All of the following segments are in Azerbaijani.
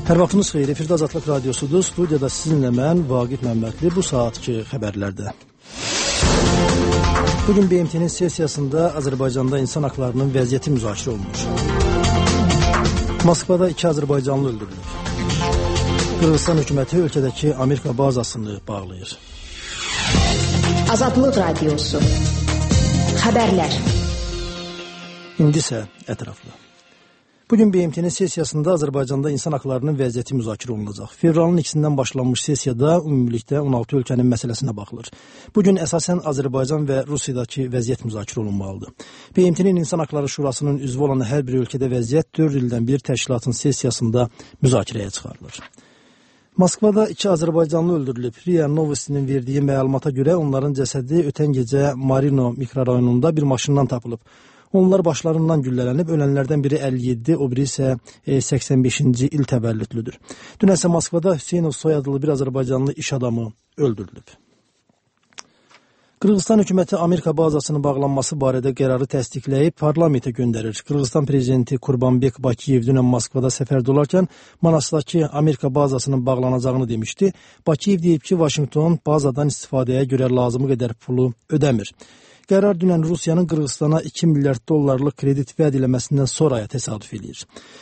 Hər vaxtınız xeyir, efirdə Azadlıq Radiosudur. Studiyada sizinlə mən, Vaqif Məmmədli, bu saatki xəbərlərdə. Bugün BMT-nin sesiyasında Azərbaycanda insan haqlarının vəziyyəti müzakirə olunmuş. Moskvada 2 Azərbaycanlı öldürülür. Qırğızstan hökuməti ölkədəki Amerika bazasını bağlayır. Azadlıq Radiosu. Xəbərlər. İndi isə ətraflı. Bugün BMT-nin sesiyasında Azərbaycanda insan haqlarının vəziyyəti müzakirə olunacaq. Fevralın 2-sindən başlanmış sesiyada ümumilikdə 16 ölkənin məsələsinə baxılır. Bugün əsasən Azərbaycan və Rusiyadakı vəziyyət müzakirə olunmalıdır. BMT-nin İnsan Haqları Şurasının üzvü olan hər bir ölkədə vəziyyət 4 ildən bir təşkilatın sesiyasında müzakirəyə çıxarılır. Moskvada 2 Azərbaycanlı öldürülüb. RIA Novostinin verdiyi məlumata görə onların cəsədi ötən gecə Marino mikrorayonunda bir maşından tapılıb. Onlar başlarından güllələnib, ölənlərdən biri 57, o biri isə 85-ci il təvəllüdlüdür. Dünən isə Moskvada Hüseynov soyadlı bir Azərbaycanlı iş adamı öldürülüb. Qırğızstan hökuməti Amerika bazasının bağlanması barədə qərarı təsdiqləyib, parlamentə göndərir. Qırğızstan prezidenti Kurbanbek Bakiyev dünən Moskvada səfərdə olarkən Manasdakı Amerika bazasının bağlanacağını demişdi. Bakiyev deyib ki, Vaşinqton bazadan istifadəyə görə lazımı qədər pulu ödəmir. Qərar dünən Rusiyanın Qırğızstana 2 milyard dollarlıq kredit vəd eləməsindən sonraya təsadüf edir.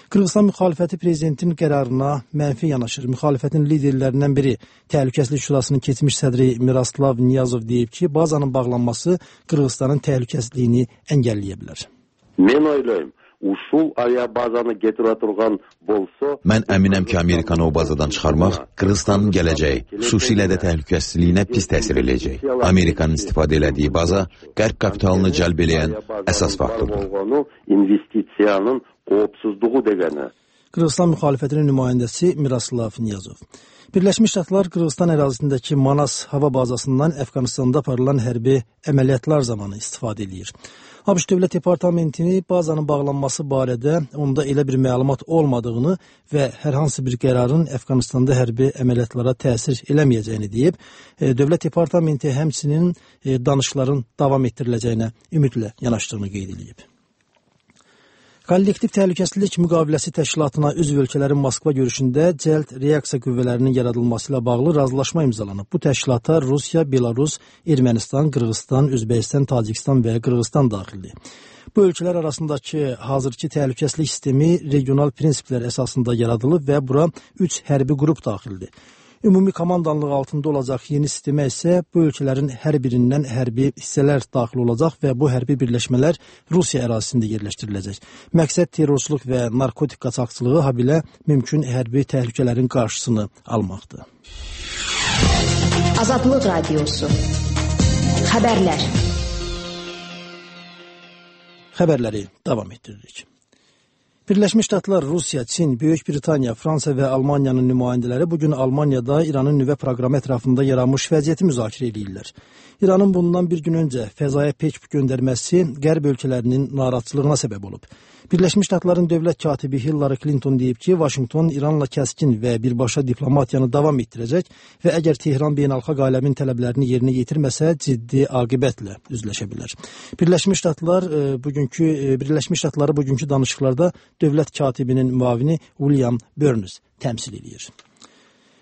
Qırğızstan müxalifəti prezidentin qərarına mənfi yanaşır. Müxalifətin liderlərindən biri Təhlükəsizlik Şurasının keçmiş sədri Miroslav Niyazov deyib ki, bazanın bağlanması Qırğızstanın təhlükəsizliyini əngəlləyə bilər. Mən oylayım. Uşul aviabazanı getirə turğan bolsa... Mən əminəm ki, Amerikanı o bazadan çıxarmaq Qırğızstanın gələcəyi, xüsusilə də təhlükəsizliyinə pis təsir eləyəcək. Amerikanın istifadə elədiyi baza qərb kapitalını cəlb eləyən əsas faktordur. İnvestisiyanın qopsuzluğu degəni. Qırğızstan müxalifətinin nümayəndəsi Miroslav Niyazov. Birləşmiş Ştatlar Qırğızstan ərazisindəki Manas hava bazasından Əfqanistanda aparılan hərbi əməliyyatlar zamanı istifadə edir. ABŞ Dövlət Departamentini bazanın bağlanması barədə onda elə bir məlumat olmadığını və hər hansı bir qərarın Əfqanistanda hərbi əməliyyatlara təsir eləməyəcəyini deyib, Dövlət Departamenti həmçinin danışıqların davam etdiriləcəyinə ümidlə yanaşdığını qeyd edib. Kollektiv Təhlükəsizlik Müqaviləsi Təşkilatına üzv ölkələrin Moskva görüşündə cəld reaksiya qüvvələrinin yaradılması ilə bağlı razılaşma imzalanıb. Bu təşkilata Rusiya, Belarus, Ermənistan, Qırğızstan, Özbəkistan, Tacikistan və Qırğızstan daxildir. Bu ölkələr arasındakı hazırki təhlükəsizlik sistemi regional prinsiplər əsasında yaradılıb və bura 3 hərbi qrup daxildir. Ümumi komandanlıq altında olacaq yeni sistemə isə bu ölkələrin hər birindən hərbi hissələr daxil olacaq və bu hərbi birləşmələr Rusiya ərazisində yerləşdiriləcək. Məqsəd terrorçuluq və narkotik qaçaqçılığı, habelə mümkün hərbi təhlükələrin qarşısını almaqdır. Azadlıq Radiosu. Xəbərlər. Xəbərləri davam etdiririk. Birləşmiş Ştatlar, Rusiya, Çin, Böyük Britaniya, Fransa və Almaniyanın nümayəndələri bugün Almaniyada İranın nüvə proqramı ətrafında yaranmış vəziyyəti müzakirə edirlər. İranın bundan bir gün öncə fəzaya pek göndərməsi qərb ölkələrinin narahatçılığına səbəb olub. Birləşmiş Ştatların dövlət katibi Hillary Clinton deyib ki, Vaşinqton İranla kəskin və birbaşa diplomatiyanı davam etdirəcək və əgər Tehran beynəlxalq aləmin tələblərini yerinə yetirməsə, ciddi aqibətlə üzləşə bilər. Birləşmiş Ştatları bugünkü danışıqlarda dövlət katibinin müavini William Burns təmsil edir.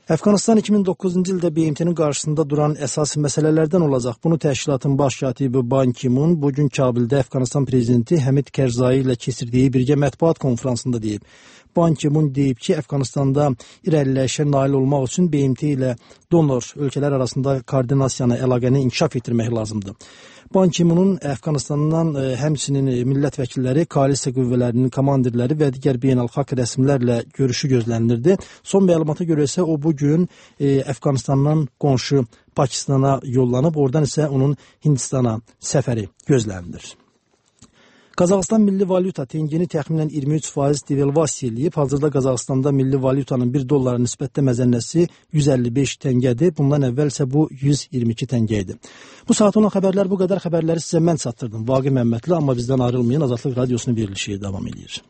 Əfqanistan 2009-cu ildə BMT-nin qarşısında duran əsas məsələlərdən olacaq. Bunu təşkilatın baş katibi Ban Ki-mun bugün Kabildə Əfqanistan prezidenti Həmid Kərzai ilə keçirdiyi birgə mətbuat konfransında deyib. Ban Ki-mun deyib ki, Əfqanistanda irəliləyişə nail olmaq üçün BMT ilə donor ölkələr arasında koordinasiyanı, əlaqəni inkişaf etdirmək lazımdır. Ban Ki-munun Əfqanistandan həmçinin millət vəkilləri, koalisiya qüvvələrinin komandirləri və digər beynəlxalq rəsmilərlə görüşü gözlənilirdi. Son məlumata görə isə o bugün Əfqanistandan qonşu Pakistana yollanıb, oradan isə onun Hindistana səfəri gözlənilir. Qazaxıstan milli valyuta tengini təxminən 23% devalvasiya eləyib. Hazırda Qazaxıstanda milli valyutanın 1 dollara nisbətdə məzənnəsi 155 təngədir. Bundan əvvəl isə bu 122 təngə idi. Bu saat olan xəbərlər bu qədər. Xəbərləri sizə mən çatdırdım. Vaqif Məmmədli, amma bizdən ayrılmayın. Azadlıq Radiosunun verilişi davam edir.